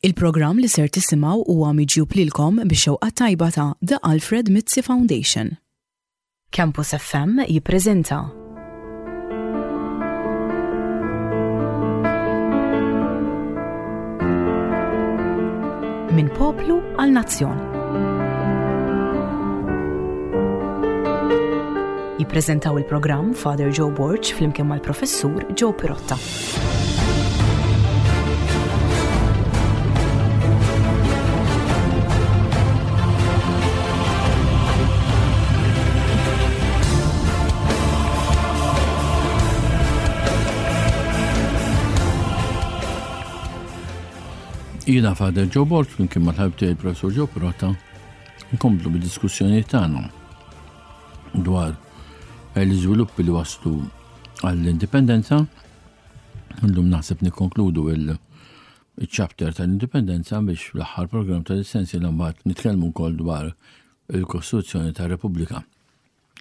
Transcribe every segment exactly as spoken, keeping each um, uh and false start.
Il-programm li ser tisimgħu huwa miġjub lilkom bix-xewqa tajba ta' The Alfred Mizzi Foundation. Campus F M jippreżenta Minn Poplu għal Nazzjon. Jippreżentaw il-programm Father Joe Borg flimkien mal-Professur Joe Pirotta. Jiena Father Joe Borg flimkien mal-ħabib tiegħi il-Professur Joe Pirotta nkomplu bid-diskussjoni tagħna dwar l-iżviluppi li waslu għall-indipendenza. Illum naħseb nikkonkludu il-chapter tal-indipendenza biex fl-aħħar program tal-sensi mbagħad nitkellmu wkoll dwar il-Kostituzzjoni tar-Repubblika.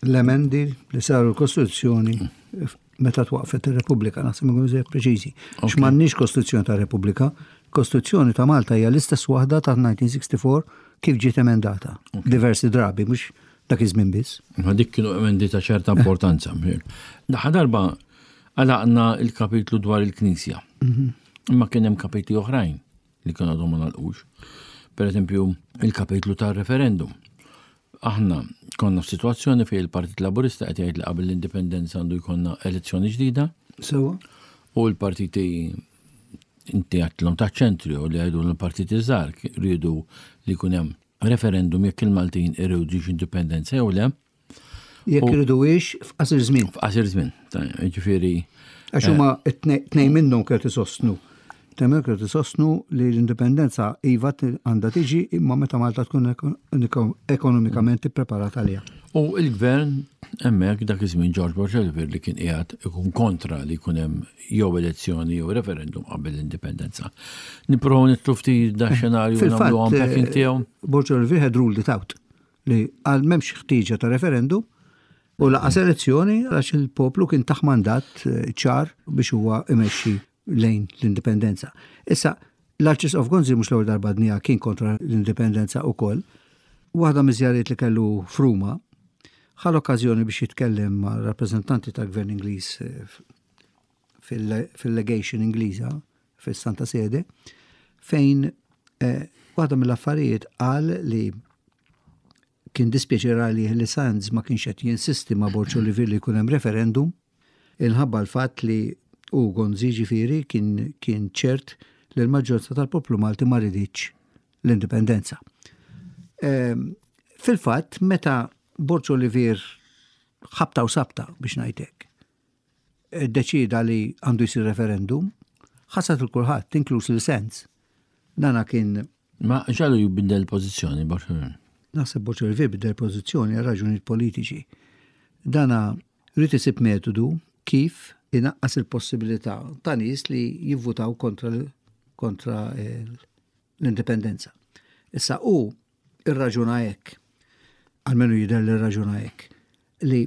L-emendi li saru l-Kostituzzjoni meta twaqfet ir-Repubblika, naħseb nkunu żejjed preċiżi. X'm'għandniex Kostituzzjoni ta' Repubblika, Kostituzzjoni ta' Malta hija l-istess waħda ta' elf disa' mija u sitta u disgħin kif ġiet emendata. Diversi drabi, mhux dak iż-żmien biss. Ma dik kienu emendi ta' ċerta importanza. Daħ darba għalaqna il-kapitlu dwar il-Knisja. Imma kien hemm kapitli oħrajn li kienu għadhom ma nagħlqux. Per eżempju, il-kapitlu tar-referendum. Aħna konna f'sitwazzjoni fejn il-Partit Laburista qed jgħid li qabel l-indipendenza għandu jkollna elezzjoni ġdida Sewa? u l-partiti, inti għedtilhom ta' ċentri u li għajdu l-partiti żgħar, rridu li jkun hemm referendum jekk il-Maltin irridux indipendenza jew le. Jekk U- iriduhiex f'qasir żmien. F'qasir żmien. Ta' Ġifieri Għax huma tnejn minnhom kienu isostnu. Tnejn minnhom kienu isostnu li l-indipendenza iva għandha tiġi, imma meta Malta tkun ekon- ekonomikament ippreparata għaliha. U il-gvern hemmhekk dak iż-żmien, George Borg Olivier, li kien qiegħed ikun kontra li jkun hemm jew elezzjoni jew referendum qabel l-indipendenza. Nipprovaw nidħlu ftit da xenarju Fil-fatt, nagħmlu unpacking tiegħu. Borg Olivier had ruled it out li għal m'hemmx ħtieġa ta' referendum u lanqas elezzjoni, għax il-poplu kien tah mandat eh, ċar biex huwa imexxi lejn l-indipendenza. Issa, l-Arċisqof Gonzi mhux l-ewwel darba dinja kien kontra l-indipendenza ukoll. Waħda miż-żjariet li kellu f'Ruma ħa l-okkażjoni biex jitkellem ma' rappreżentanti tal-Gvern Ingliż eh, fil- fil-legation Ingliża fis-Santa Sede, fejn eh, waħda mill-affarijiet qal li kien dispjaċir għalih li Sands ma kienx qed jinsisti ma' Borg Olivier li jkun hemm referendum inħabba l-fatt li u Gonzi ġifieri kien, kien ċert li l-maġġoranza tal-poplu Malti ma riditx l-indipendenza. Ehm, Fil-fatt, meta Borg Olivier ħabta u sabta, biex ngħidlek, deċida li għandu jsir referendum, ħasad lil kulħadd, inkluż lil Sands. Dana kien Ma ġalu jibdel pożizzjoni Borg Olivier. Naħseb Borg Olivier bidel pożizzjoni għal raġunijiet politiċi. Dana rrid isib metodu kif inaqqas il-possibilità ta' nies li jivvutaw kontra kontra eh, l-indipendenza. Issa u irraġuna hekk, almenu jidher li rraġuna hekk, li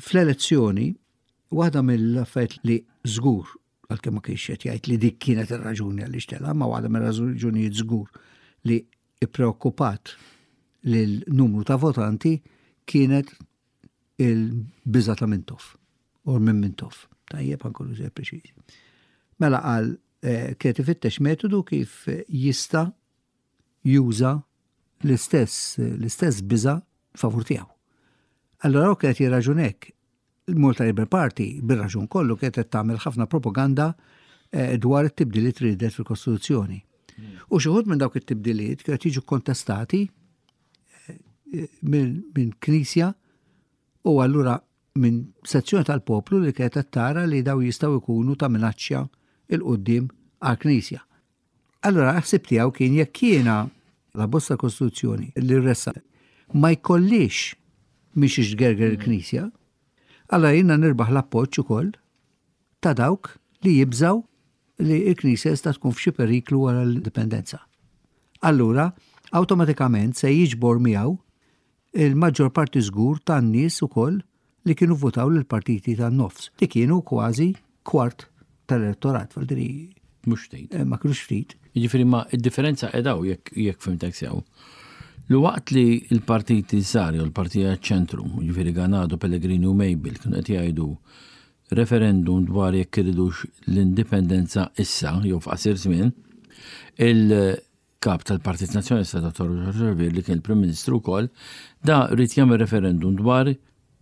fl-elezzjoni waħda mill-affarijiet li żgur, għalkemm ma kienx qed jgħid li dik kienet ir-raġuni għaliex tela, ma waħda mir-raġunijiet żgur li ippreokkupat lil numru ta' votanti kienet il-biża ta' Mintoff, u minn Mintoff. Tajjeb, għankunu żejjed preċiżi. Mela qal eh, kienet ifittex metodu kif jista' juża l-istess l-istess biża favur tiegħu. Allora hu kienet jirraġun hekk. Il-Malta Labour Party bir-raġun kollu kienet qed tagħmel ħafna propaganda eh, dwar it-tibdiliet ridet fil-Kostituzzjoni. U xi wħud minn dawk it-tibdiliet kienet jiġu kontestati eh, minn min Knisja u allura minn sezzjoni tal-poplu li kienet qed tara li daw jistgħu jkunu ta' minaċċja 'l quddiem għal-Knisja. Allora ħsib tiegħu kien jekk jiena l-abbozz Kostituzzjoni li ressa ma jkollix miex ixgerger il-Knisja, allora jiena nirbaħ l-appoġġ ukoll ta' dawk li jibżaw li l-Knisja jista' tkun f'xi periklu wara l-indipendenza. Allura, awtomatikament se jiġbor miegħu il-maġġor parti żgur tan-nies ukoll li kienu votaw lil partiti tan-nofs, li kienu kważi kwart tal-elettorat, fal Mhux ftit. Eh, ma kienux ftit. Jiġifieri ma id-differenza edaw jekk jekk fhimtek sew. Li waqt li l-partiti żgħar jew l-partiti ċentru, jiġifieri Ganado, Pellegrini u Mabel kienu qed jgħidu referendum dwar jekk iridux l-indipendenza issa jew f'qasir żmien, il-kap tal-Partit Nazzjonalista Dottor Olivier, li kien il-Prim Ministru wkoll, da ried jagħmel referendum dwar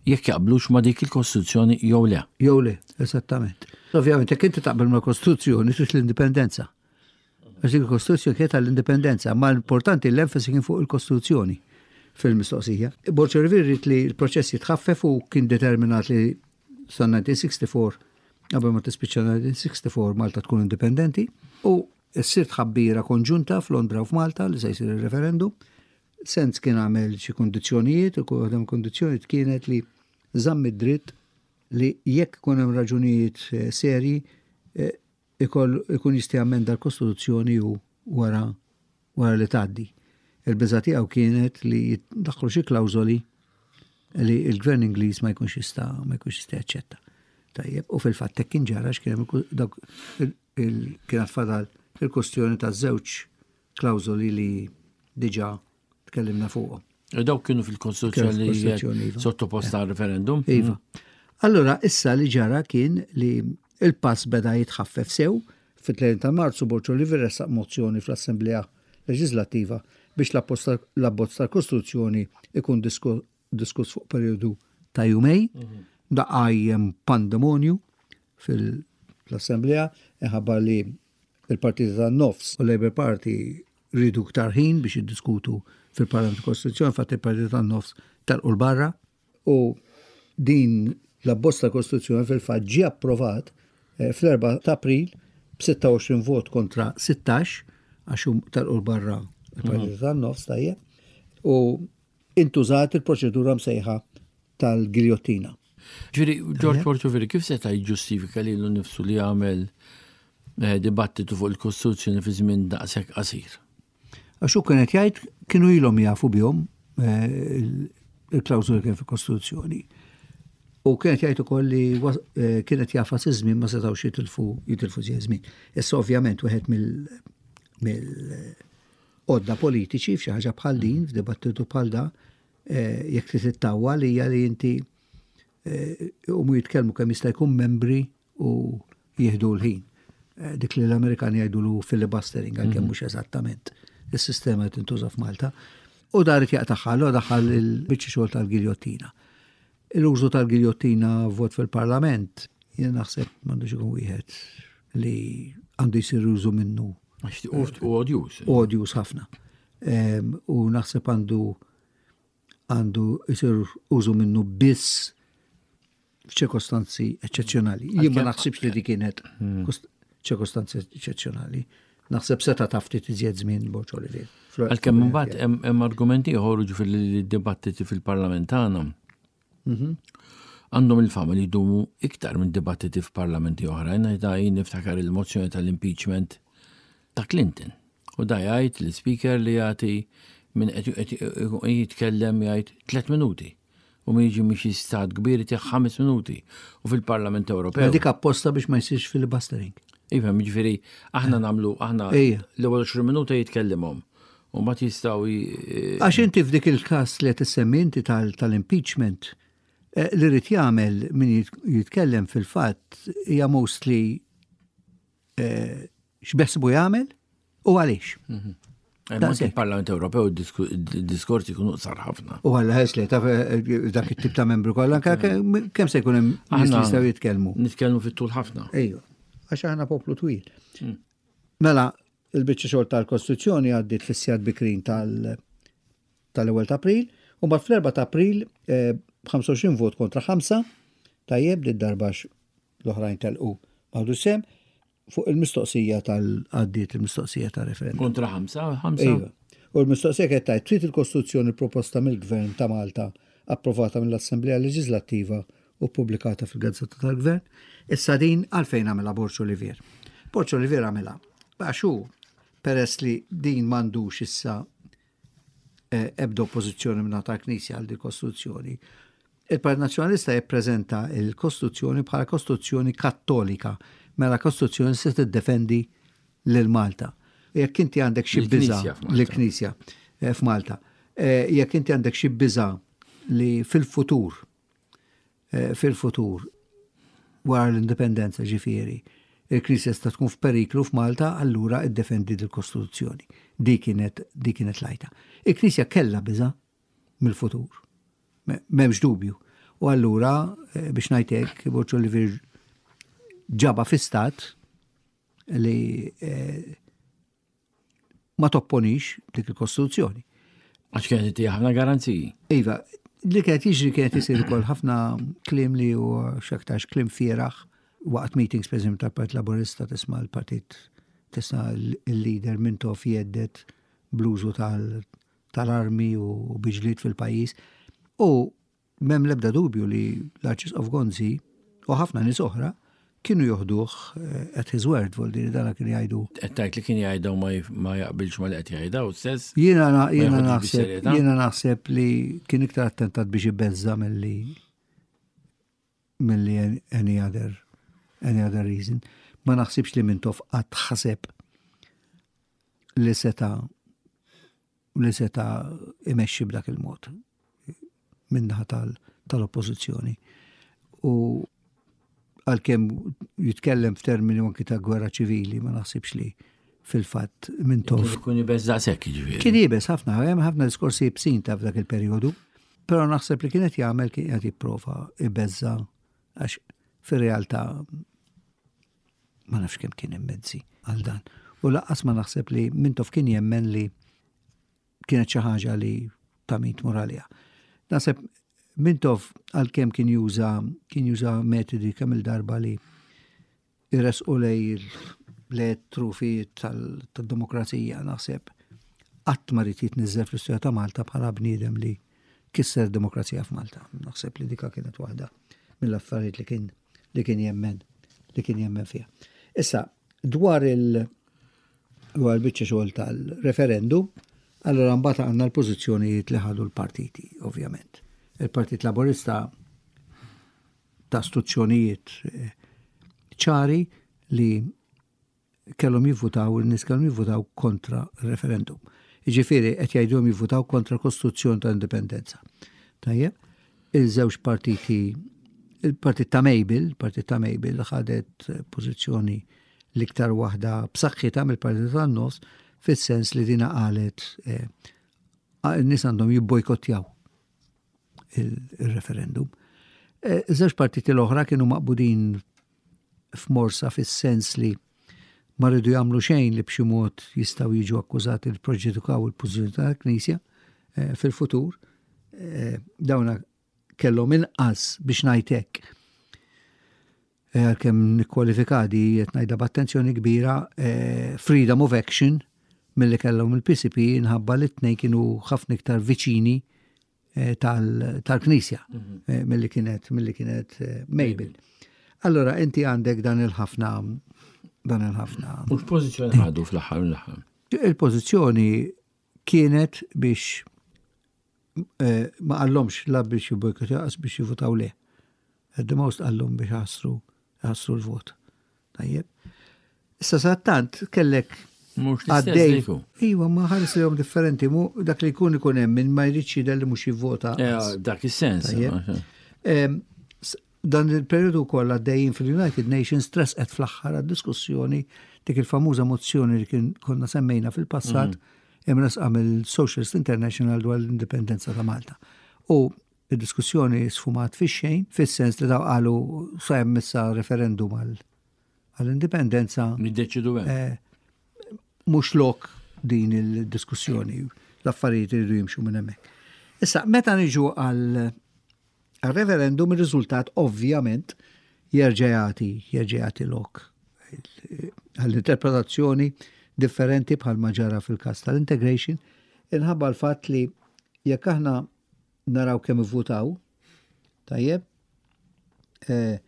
jekk jaqblux ma' dik il-Kostituzzjoni jew le. Jew le, esattament. Ovvjament, jekk inti taqbel ma' Kostituzzjoni, trid l-indipendenza. Għax dik il-Kostituzzjoni kienet għall-indipendenza, ma l-importanti l-enfasi kien fuq il-Kostituzzjoni fil-mistoqsija. Borg Olivier ried li l-proċess jitħaffef u kien determinat li sa elf disa' mija u sitta u sittin, qabel ma tispiċċa elf disa' mija u sitta u sittin, Malta tkun indipendenti, u ssir tħabbira konġunta f'Londra u f'Malta li se jsir il-referendum. Sands kien għamel xi kondizzjonijiet, u waħda kondizzjonijiet kienet li żamm id-dritt li jekk ikun hemm raġunijiet eh, serji eh, ikun jista' jammenda l-Kostituzzjoni u wara wara li tgħaddi. Il-biża tiegħu kienet li jiddaħħlu xi klawżoli li l-gvern Ingliż ma jkunx jista' ma jkunx jista' jaċċetta. Tajjeb, u fil-fatt hekk kien ġara, x'kien hemm dawk kienet fadal il-kwestjoni ta' żewġ klawżoli li diġà tkellimna fuqhom. Dawk kienu fil-Kostituzzjoni li iva. sottoposta għal referendum. Iva. Allora, issa li ġara kien li il-pass beda jitħaffef sew. Fit-tletin ta' Marzu Borg Olivier ressaq mozzjoni fl-Assemblea Leġislattiva biex l-abbozz tal-Kostituzzjoni ikun diskuss fuq periodu ta' jumejn. Mhm. Da qajjem pandemonju fil-Assemblea, minħabba li il-Partiti tan-Nofs u Labour Party riedu iktar ħin biex jiddiskutu fil-Parlament Kostituzzjoni, fatt il-Partiti tan-Nofs telqu 'l barra u din l-abbozz ta' Kostituzzjoni fil-fatt ġie approvat eh, fl-erbgħa ta' April b'sitta u għoxrin vot kontra sittax, għax telqu 'l barra il-Partiti mhm. tan-Nofs, tajjeb. U intużat il-proċedura msejħa tal-giljottina. Ġifieri, George Borg Olivier, kif seta' jġustifika lilu nnifsu li għamel eh, dibattitu fuq il-Kostituzzjoni fi żmien daqshekk qasir? Għax hu kienet jgħid kienu ilhom jafu bihom eh, il-klawżoli kien fil-Kostituzzjoni. U kienet jgħid ukoll li eh, kienet jagħfas iż-żmien, ma setgħux jitilfu jitilfu żmien. Issa ovvjament wieħed mill mill-għodda politiċi f'xi ħaġa bħal din, f'dibattitu bħal da, eh, jekk trid ittawwal, hija li inti u mu jitkellmu kemm jista' jkun membri u jieħdu l-ħin. Dik li l-Amerikani jgħidulu filibustering, għalkemm mhm. mhux eżattament is-sistema tintuża f'Malta. U dar jaqtagħha, u daħal il-biċċa xogħol tal-giljottina. L-użu tal-giljottina vot fil-Parlament, jien naħseb m'għandux ikun wieħed li għandu jsir użu minnu. U odjus. Odjus ħafna. U naħseb għandu għandu jsir użu minnu biss f'ċirkostanzi eccezzjonali. Jien ma naħsibx li di kienet hmm. ċirkostanzi eccezzjonali. Naħseb seta' ta ftit iżjed żmien Borg Olivier. Għalkemm imbagħad hemm argumenti ieħor, ġifieri dibattiti fil-Parlament tagħna mhm. għandhom il-fama li jdumu iktar minn dibattiti f'parlamenti oħrajn. Da jien niftakar il-mozzjoni tal-impeachment ta' Clinton. U da jgħid l-speaker li jagħti min qed jitkellem, jgħid tliet minuti. U min jiġi minn stat kbir jtih ħames minuti. U fil-Parlament Ewropew. Dik apposta biex ma jsirx filibustering. Iva, ġifieri, aħna nagħmlu, aħna l-ewwel għoxrin minuta jitkellimhom. U ma jistgħu. Għax inti f'dik il-każ li qed issemmi inti tal-impeachment, eh, li ried jagħmel min jitkellem fil-fatt hija mostly eh, x'beħsiebu jagħmel u għaliex. Mhm. Il-Parlament Ewropew diskorsi jkunu qsar ħafna. U għalla ħes li taf eh, dak it-tip ta' membru kollha kemm se jkun hemm nies li jistgħu jitkellmu. Nitkellmu fit-tul ħafna. Ejju, għax aħna poplu twil. Hmm. Mela, il-biċċa xogħol tal-Kostituzzjoni għaddiet fis-sigħat bikrin tal- tal-ewwel ta' April, u mbagħad fl-erbgħa ta' April b'ħamsa u għoxrin vot kontra ħamsa, tajjeb, li darba l-oħrajn telqu ma sehem, fuq il-mistoqsija tal-għaddiet il-mistoqsija tal-referendum. Kontra ħamsa, ħamsa. Iva. U l-mistoqsija kienet tgħid: trid il-Kostituzzjoni proposta mill-Gvern ta' Malta, approvata mill-Assemblea Leġislattiva u pubblikata fil-Gazzetta tal-Gvern? Issa din għalfejn għamilha Borg Olivier? Borg Olivier għamilha għax hu, peress li din m'għandux issa eh, ebda oppożizzjoni minn tal-Knisja għal di Kostituzzjoni. Il-Partit Nazzjonalista jippreżenta il-Kostituzzjoni bħala Kostituzzjoni Kattolika, mela Kostituzzjoni se tiddefendi lil Malta. Jekk inti għandek xi biża l-Knisja eh, f'Malta, eh, jekk inti għandek xi biża li fil-futur, eh, fil-futur, wara l-indipendenza ġifieri, il-Knisja sta tkun f'periklu f'Malta, allura iddefendi l-Kostituzzjoni. Di kienet di kienet lajta. Il-Knisja kellha biża mill-futur. M'hemmx dubju. U allura, biex ngħidlek, Borg Olivier ġaba fi stat li eh, ma topponix dik il-Kostituzzjoni. Għax kienet ħafna garanziji. Iva, li kienet jiġri kienet isir ukoll ħafna kliem li huwa x'aktarx kliem fieragħ waqt meetings, per eżempju, tal-Partit Laburista, tisma' l-partit, tisma' il-leader Mintoff jhedded bl-użu tal-armi u bi ġlied fil-pajjiż. U m'hemm l-ebda dubju li l-Arċisqof Gonzi u ħafna nies oħra kienu joħduh eh, at his word, vuol dana kien jgħidu. Qed tgħid li kien jgħidu ma jaqbilx ma li qed jgħidu stess? Jiena jiena naħseb jiena naħseb li kien iktar attentat biex ibeżza milli milli any other any other reason. Ma naħsibx li Mintoff qatt ħaseb li seta li seta imexxi b'dak il-mod min-naħa tal-oppożizzjoni. U għalkemm jitkellem f'termini anki ta' gwerra ċivili, ma naħsibx li fil-fatt Mintoff. Kien iebes daqshekk ġifieri. Kien iebes ħafna, hemm ħafna diskorsi iebsin ta' f'dak il-perjodu, però naħseb li kienet jagħmel kien qed jipprova ibeżza għax fir-realtà ma nafx kemm kien hemm mezzi għal dan. U lanqas ma naħseb li Mintoff kien jemmen li kienet xi ħaġa li ta' min tmur għaliha. Naħseb Mintoff għalkemm kien juża kien juża metodi kemm il-darba li jresqu lej le trufijiet tal-demokrazija, naħseb qatt ma ried jitniżżel fl-istorja ta' Malta bħala bniedem li kisser demokrazija f'Malta. Naħseb li dika kienet waħda mill-affarijiet li kien li kien jemmen li kien jemmen fiha. Issa, dwar il dwar il-biċċa xogħol tal-referendum, allora mbagħad għandna l-pożizzjonijiet li ħadu l-partiti, ovvjament. Il-Partit Laburista ta istruzzjonijiet eh, ċari li kellhom jivvutaw, il-nies kellhom jivvutaw kontra referendum. Jiġifieri qed jgħidulhom jivvutaw kontra Kostituzzjoni ta' Indipendenza. Tajjeb, il-żewġ partiti, il-partit ta' Mabel, il-partit ta' Mabel ħadet pożizzjoni l-iktar waħda b'saħħitha mill-partit tan-nofs, fis-sens li dina qalet eh, n-nies għandhom jibbojkottjaw il-referendum. Eh, żewġ partiti l-oħra kienu maqbudin f'morsa fis-sens li ma rridu jagħmlu xejn li b'xi mod jistgħu jiġu akkużati li preġudikaw il-pożizzjoni tal-Knisja eh, fil-futur. Dawna kellhom inqas, biex ngħid hekk, għalkemm nikkwalifika di, qed ngħidha b'attenzjoni kbira, freedom of action milli kellhom il-P C P, inħabba li t-tnejn kienu ħafna iktar viċini eh, tal-Knisja mhm. eh, milli kienet milli kienet eh, Mabel. Allora inti għandek dan il-ħafna dan il-ħafna. U l-pożizzjoni ħadu fl-aħħar l-aħħar? Il-pożizzjoni kienet biex ma qallhomx la biex jibbojkottjaw biex jivutaw le. At the most qallhom biex ħassru ħassru l-vot. Tajjeb. Issa sattant kellek għaddej. Iwa, ma ħares li differenti, mu dak li jkun ikun hemm min ma jridx jidher li mhux jivvota. Dak is-sens. Dan il-periodu kollha għaddejjin fil-United Nations tressqet fl-aħħar għad-diskussjoni dik il-famuża mozzjoni li kien konna semmejna fil-passat mhm. imresqa mill-Socialist International dwar l-indipendenza ta' Malta. U id-diskussjoni sfumat fix-xejn, fis-sens li daw qalu sa hemm issa referendum għall-indipendenza. Niddeċidu hemm. Eh, mhux lok din il-diskussjoni, l-affarijiet iridu jimxu minn hemmhekk. Issa, meta niġu għal referendum, il-riżultat ovvjament jerġa' jagħti jerġa' jagħti lok għall-interpretazzjoni differenti bħal ġara fil-każ tal-integration, inħabba l-fatt li jekk aħna naraw kemm ivvutaw, tajjeb, eh,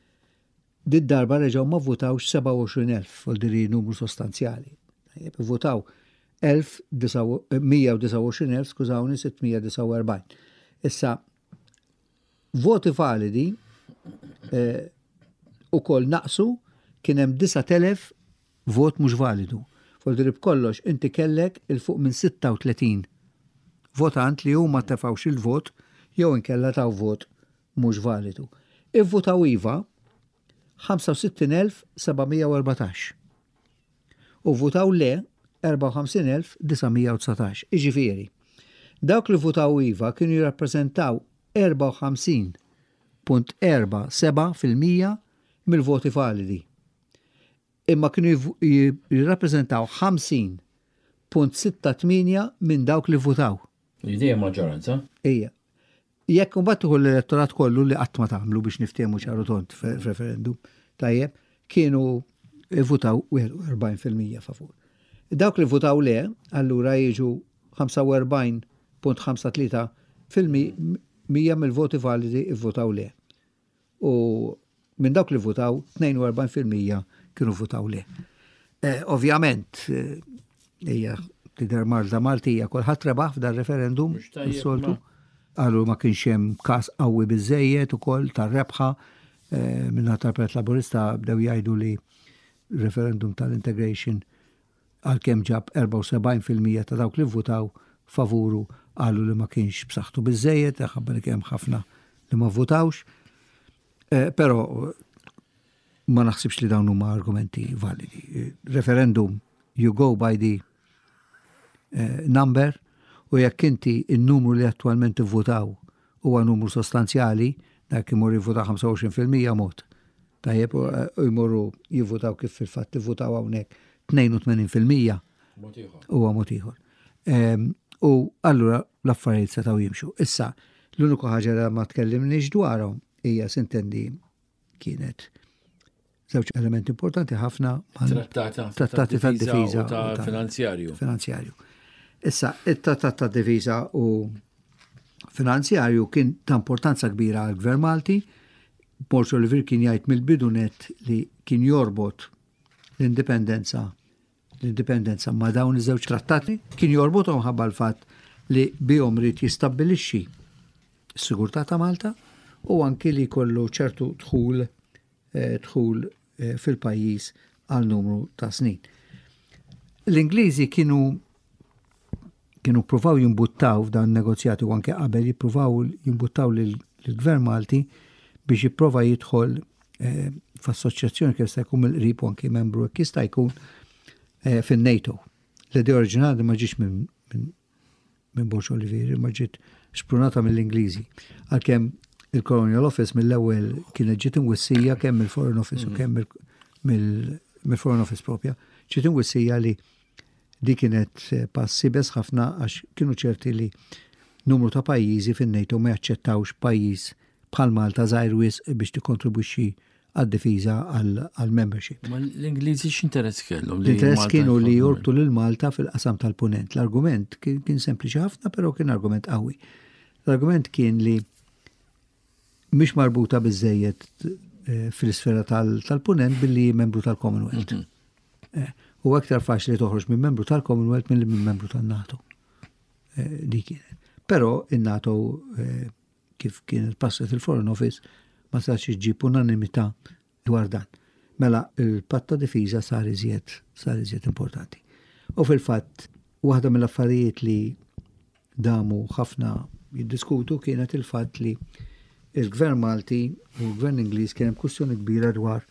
did darba reġgħu ma vvutawx sebgħa u għoxrin elf, vuol dire numru sostanzjali. Tajjeb, votaw mija u disgħa u għoxrin elf, skużawni, sitt mija u disgħa u erbgħin. Issa, voti validi eh, u koll naqsu, kien hemm disat elef vot mhux validu. Voldiri b'kollox inti kellek 'il fuq minn sitta u tletin votant li huma tefawx il-vot jew inkella taw vot mhux validu. Ivvutaw iva ħamsa u sittin elf seba' mija u erbatax u votaw le erbgħa u ħamsin elf disa' mija u dsatax. Iġifieri, dawk li votaw iva kienu jirrappreżentaw erbgħa u ħamsin punt erbgħa seba' fil-mija mill-voti validi. Imma kienu jirrappreżentaw ħamsin punt sitta tmienja minn dawk li votaw. L-idea maġġoranza? Ija. Jekk mbagħad tieħu l-elettorat kollu, li qatt ma tagħmlu biex niftehmu ċar u tond f'referendum, tajjeb, kienu votaw wieħed u erbgħin fil-mija favur. Dawk li votaw le, allura jiġu ħamsa u erbgħin punt ħamsa tlieta fil-mija mill-voti validi votaw le. U minn dawk li votaw, tnejn u erbgħin fil-mija kienu votaw le. Eh, ovvjament, eh, hija tidher Malta Maltija, kulħadd rebaħ f'dar referendum, soltu. Qalu ma kienx hemm każ qawwi biżejjed ukoll tar-rebħa eh, minn tal-Partit Laburista bdew jgħidu li referendum tal-integration, għalkemm ġab erbgħa u sebgħin fil-mija ta' dawk li votaw favuru, qalu li ma kienx b'saħħtu biżejjed, ħabba li kemm ħafna li ma votawx. Eh, però ma naħsibx li dawn huma argumenti validi. Referendum, you go by the eh, number, u jekk inti il-numru li attualment votaw huwa numru sostanzjali, dak imur jivvota ħamsa u għoxrin fil-mija mod. Tajjeb, u jmorru jivvotaw kif fil-fatt jivvotaw hawnhekk tnejn u tmenin fil-mija huwa mod ieħor. U allura l-affarijiet setgħu jimxu. Issa, l-uniku ħaġa li ma tkellimniex dwarhom hija, s'intendi, kienet żewġ elementi importanti ħafna. Trattati tad-difiża u ta' finanzjarju. Finanzjarju. Issa, it-trattat ta' difiża u finanzjarju kien ta' importanza kbira għal gvern Malti. Borg Olivier kien jgħid mill-bidu net li kien jorbot l-indipendenza l-indipendenza ma' dawn iż-żewġ trattati, kien jorbothom ħabba l-fatt li bihom ried jistabbilixxi s-sigurtà ta' Malta u anki li kollu ċertu dħul eh, dħul eh, fil-pajjiż għal numru ta' snin. L-Ingliżi kienu kienu pruvaw jimbuttaw f'dan negozjati u anke qabel jippruvaw jimbuttaw lill-Gvern Malti biex jipprova jidħol eh, f'assoċjazzjoni kif jista' jkun mill-qrib u anke membru jekk jista' jkun eh, fin-NATO. L-idea oriġinali ma ġiex minn minn Borg Olivier, ma ġiet xprunata mill-Ingliżi. Għalkemm il-Colonial Office mill-ewwel kienet ġiet imwissija kemm mill-Foreign Office u mm. kemm mill-Foreign Office propja, ġiet imwissija li di kienet eh, pass iebes ħafna għax kienu ċerti li numru ta' pajjiżi fin-NATO ma jaċċettawx pajjiż bħal Malta żgħir wisq biex tikkontribwixxi għad-difiża, għal-membership. Ma l-Ingliżi x'interess kellhom? L-interess kienu li jorbtu lil Malta fil-qasam tal-punent. L-argument kien sempliċi ħafna, però kien argument qawwi. L-argument kien li mhix marbuta biżejjed eh, fil-sfera tal-punent billi membru tal-Commonwealth. Mhm. Eh, u aktar faċli toħroġ minn membru tal-Commonwealth milli minn membru tal-NATO. Eh, di kienet. Però il-NATO, kif kien il-passet il-Foreign Office, ma sax iġġib unanimità dwar dan. Mela il-patt ta' difiża sar iżjed sar iżjed importanti. U fil-fatt, waħda mill-affarijiet li damu ħafna jiddiskutu kienet il-fatt li il-Gvern Malti u l-Gvern Ingliż kien hemm kwistjoni kbira dwar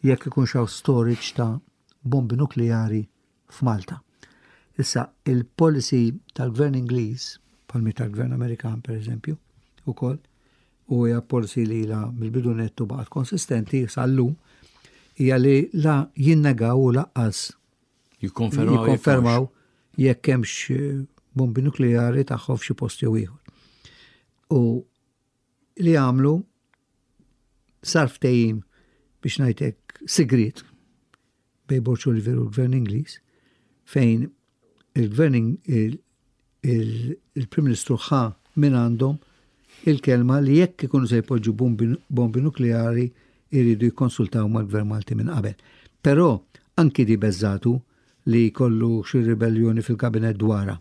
jekk ikun hawn storage ta' bombi nukleari f'Malta. Issa, il-policy tal-Gvern Ingliż, bħalma tal-Gvern Amerikan per eżempju, ukoll, u hija policy li la mill-bidu nettu baqgħet konsistenti sal-lum, hija li la jinnegaw u lanqas jikkonfermaw jikkonfermaw jekk hemmx eh, bombi nukleari tagħhom f'xi post jew ieħor. U li għamlu, sar ftehim, biex ngħidlek, sigriet bejn Borg Olivier u l-Gvern Ingliż, fejn il-Gvern il-Prim Ministru ħa minn għandhom il-kelma li jekk ikunu se jpoġġu bombi nukleari jridu jikkonsultaw mal-Gvern Malti minn qabel. Però anki di beżżgħetu li jkollu xi ribellioni fil-kabinet dwarha,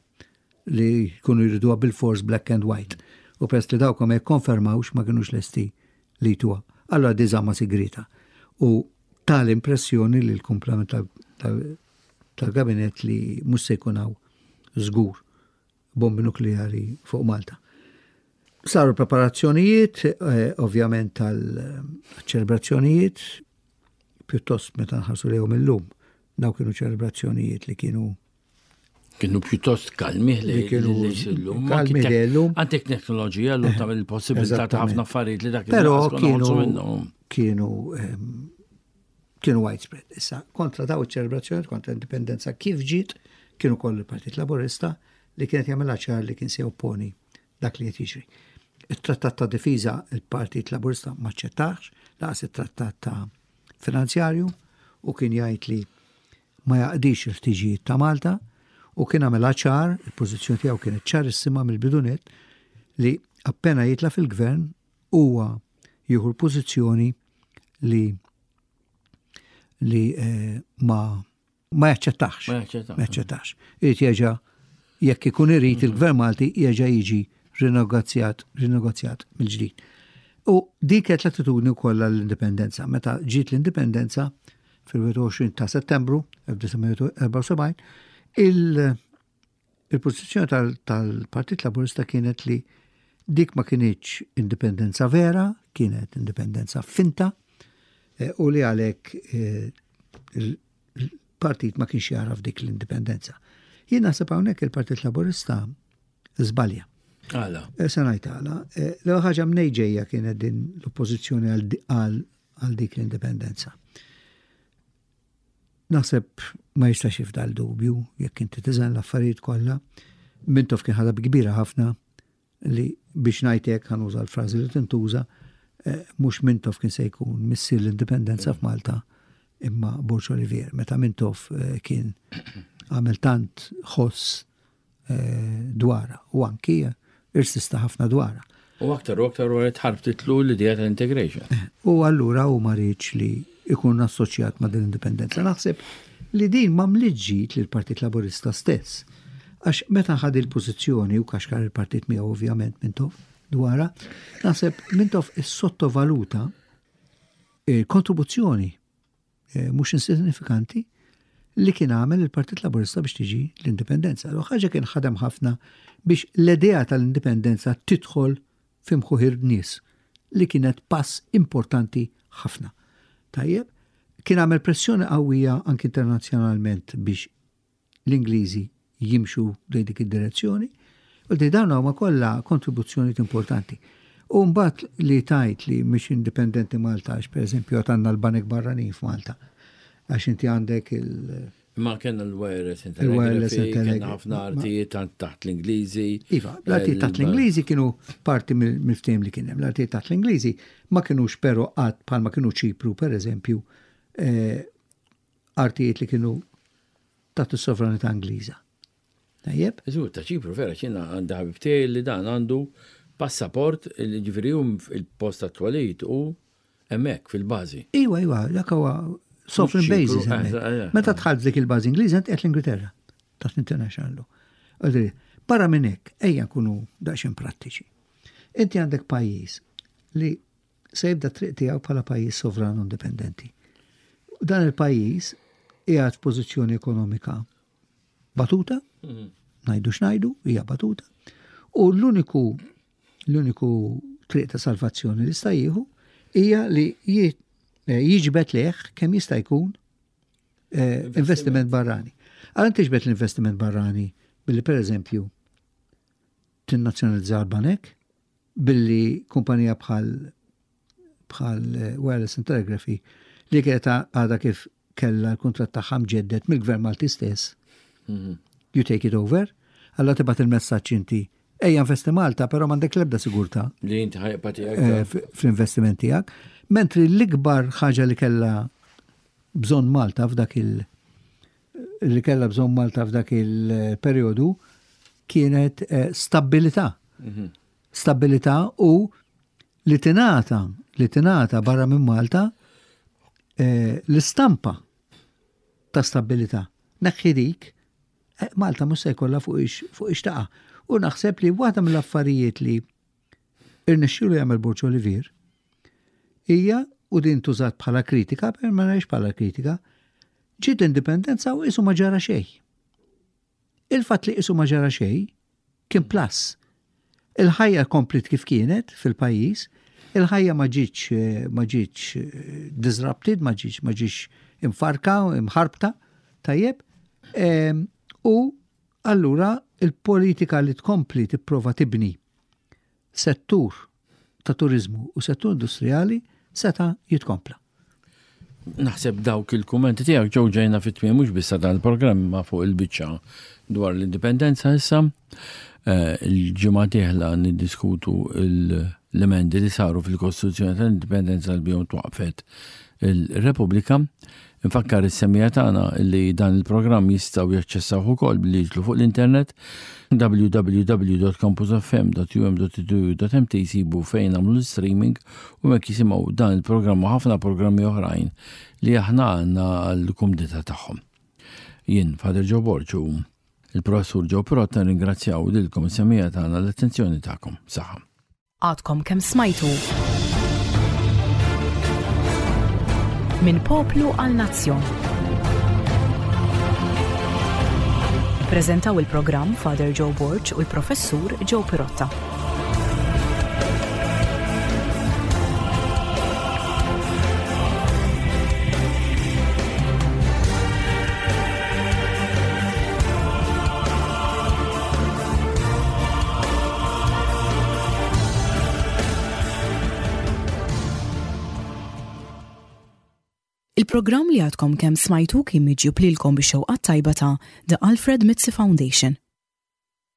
li jkunu jriduha bil-force black and white. U peress li dawk ma jikkonfermawx, ma kienux lesti li jtuha. Allora di żamma sigrita. U tal-impressjoni li l-kumplament tal-gabinet li mhux se jkun hawn żgur bombi nukleari fuq Malta. Saru preparazzjonijiet, eh, ovvjament tal-ċelebrazzjonijiet, pjuttost meta nħarsu lejhom illum, daw kienu ċelebrazzjonijiet li kienu Kienu pjuttost kalmi li kienu llum. kalmi li llum. Għandek teknoloġija llum tagħmel il-possibilità ta' ħafna affarijiet li dak Però il-naqas konna nħolsu kienu minnhom. kienu ehm, kienu widespread. Issa, kontra daw iċ-ċelebrazzjoni, kontra l-indipendenza kif ġiet, kienu koll il-Partit Laburista li kienet jagħmilha ċar li kien se jopponi dak li qed jiġri. Il-Trattat ta' Difiża il-Partit Laburista ma aċċettax, lanqas it-Trattat ta' Finanzjarju u kien jgħid li ma jaqdix il-ħtiġijiet ta' Malta u kien għamilha ċar, il-pożizzjoni tiegħu kienet ċarissima mill-bidunet li appena jitla fil-gvern huwa jieħu l-pożizzjoni li li eh, ma ma jaċċettax. Ma jaċċettax. Ma jaċċettax. Irid jerġa' jekk ikun irid il-gvern Malti jerġa' jiġi rinegozjat rinegozjat mill-ġdid. U dik kienet l-attitudni wkoll għall-indipendenza. Meta ġiet l-indipendenza fil-wieħed u għoxrin ta' Settembru elf disa' mija erbgħa u sebgħin, il- il-pożizzjoni tal- tal-Partit Laburista kienet li dik ma kinitx indipendenza vera, kienet indipendenza finta, eh, u li għalhekk eh, il- il-partit ma kienx jaraf dik l-indipendenza. Jien naħseb hawnhekk il-Partit Laburista żbalja. Għala. Eh, Se ngħid għala, eh, l-ewwel ħaġa mnej ġejja kienet din l-oppożizzjoni għal di- għal għal dik l-indipendenza. Naħseb ma jistax jifdal dubju jekk inti tiżen l-affarijiet kollha. Mintoff kien ħadha kbira ħafna li biex ngħidlek ħa nuża l-frażi li tintuża, eh, mhux Mintoff kien se jkun missier l-indipendenza f'Malta imma Borg Olivier. Meta Mintoff eh, kien għamel tant ħoss eh, dwara u anki irsista ħafna dwara. U aktar u aktar wara tħarbtitlu l-idea tal-integration. U allura u ma riedx li ikun assoċjat ma' din l-indipendenza. Naħseb li din ma mliġġit lil Partit Laburista stess. Għax meta ħad il-pożizzjoni u kaxkar il-partit miegħu ovvjament Mintoff dwara, naħseb Mintoff is-sottovaluta il-kontribuzzjoni eh, mhux insignifikanti li kien għamel il-Partit Laburista biex tiġi l-indipendenza. L ħaġa kien ħadem ħafna biex l-idea tal-indipendenza tidħol f'imħuħ in-nies li kienet pass importanti ħafna. Tajjeb, kien għamel pressjoni qawwija anki internazzjonalment biex l-Ingliżi jimxu lejn dik id-direzzjoni, u di dawn huma kollha kontribuzzjonijiet importanti. U mbagħad li tajt li mhix indipendenti Malta, għax pereżempju għandna l-banek barranin f'Malta, għax inti għandek il- Ma kellna l-wireless Il-wireless telegraphy, kellna telegraphy. ħafna artijiet taħt l-Ingliżi. Iva, l-artijiet taħt l-Ingliżi kienu parti mill- mill-ftehim li kien hemm. L-artijiet taħt l-Ingliżi ma kienux però qatt bħalma kienu Ċipru, per eżempju, eh, artijiet li kienu taħt is-sovranità Ingliża. Tajjeb? Iżur, ta' Ċipru, vera, ċina għandha ħabib tiegħi li dan għandu passaport li ġifieri hu il-post tat-twelid u hemmhekk fil-bażi. Iwa, iwa, dak huwa sovereign Mhux basis. Ċipru, hemmhekk. eh, eh, Meta dħalt dik il-bażi Ingliża int qed l-Ingilterra taħt international law. Għadri, barra minn hekk, ejja nkunu daqsxejn prattiċi. Inti għandek pajjiż li se jibda triq tiegħu bħala pajjiż sovran u indipendenti. U dan il-pajjiż qiegħed f'pożizzjoni ekonomika batuta, ngħidu x'ngħidu, hija batuta, u l-uniku l-uniku triq ta' salvazzjoni li sta jieħu hija li ji- eh, jiġbed lejh kemm jista' jkun eh, investiment barrani. Għal tiġbed l-investiment barrani billi per eżempju tinnazzjonalizza l-banek, billi kumpanija bħal bħal eh, Wireless and Telegraphy li kienet għadha kif kella l-kontrat tagħha mġeddet mill-Gvern Malti stess. You take it over, alla tibgħat il-messaġġ inti ejja investi Malta, però m'għandek l-ebda sigurtà Li inti ħajqa tiegħek. eh, f- fl-investiment tiegħek. Mentri l-ikbar ħaġa li kella bżonn Malta f'dak il- li kella bżonn Malta f'dak il-perjodu kienet eh, stabilità. Stabilità u li tingħata li tingħata barra minn Malta eh, l-istampa ta' stabilità. Neħħi dik, eh, Malta mhux se jkollha fuq ix fuq ix taqa'. U naħseb li waħda mill-affarijiet li irnexxielu jagħmel Borg Olivier hija u din tużat bħala kritika, per ma ngħidx bħala kritika, Ġiet l-indipendenza u qisu ma ġara xejn. Il-fatt li qisu ma ġara xejn kien plus. Il-ħajja komplit kif kienet fil-pajjiż, il-ħajja ma ġietx ma ġietx eh, disrupted, ma ġietx ma ġietx imfarka, imħarbta, tajjeb. Em, U allura il-politika li tkompli tipprova tibni settur ta' turizmu u settur industrijali seta' jitkompla. Naħseb dawk il-kummenti tiegħek ġew ġejna fit-tmiem mhux biss dan il-programm ma fuq il-biċċa dwar l-indipendenza issa. Eh, Il-ġimgħa dieħla niddiskutu l-emendi li saru fil-Kostituzzjoni tal-Indipendenza li bihom twaqfet il-Repubblika. Infakkar is-semmiegħa tagħna li dan il-programm jistgħu jaċċessaw ukoll billi jiġlu fuq l-internet w w w punt campusfm punt u m punt e d u punt m t, jsibu fejn nagħmlu l-streaming u hekk jisimgħu dan il-programm u ħafna programmi oħrajn li aħna għandna għall-kumdità tagħhom. Jien Father Joe Borg u il-professur Joe Pirotta ringrazzjaw lilkom is-semmiegħa tagħna l-attenzjoni tagħkom. Saħħa. Għadkom kemm smajtu Minn Poplu għal Nazzjon. Prezentaw il-programm Father Joe Borg u l-professur Joe Pirotta. Il-programm li għadkom kemm smajtu kien miġjub lilkom bix-xewqa tajba ta' The Alfred Mizzi Foundation.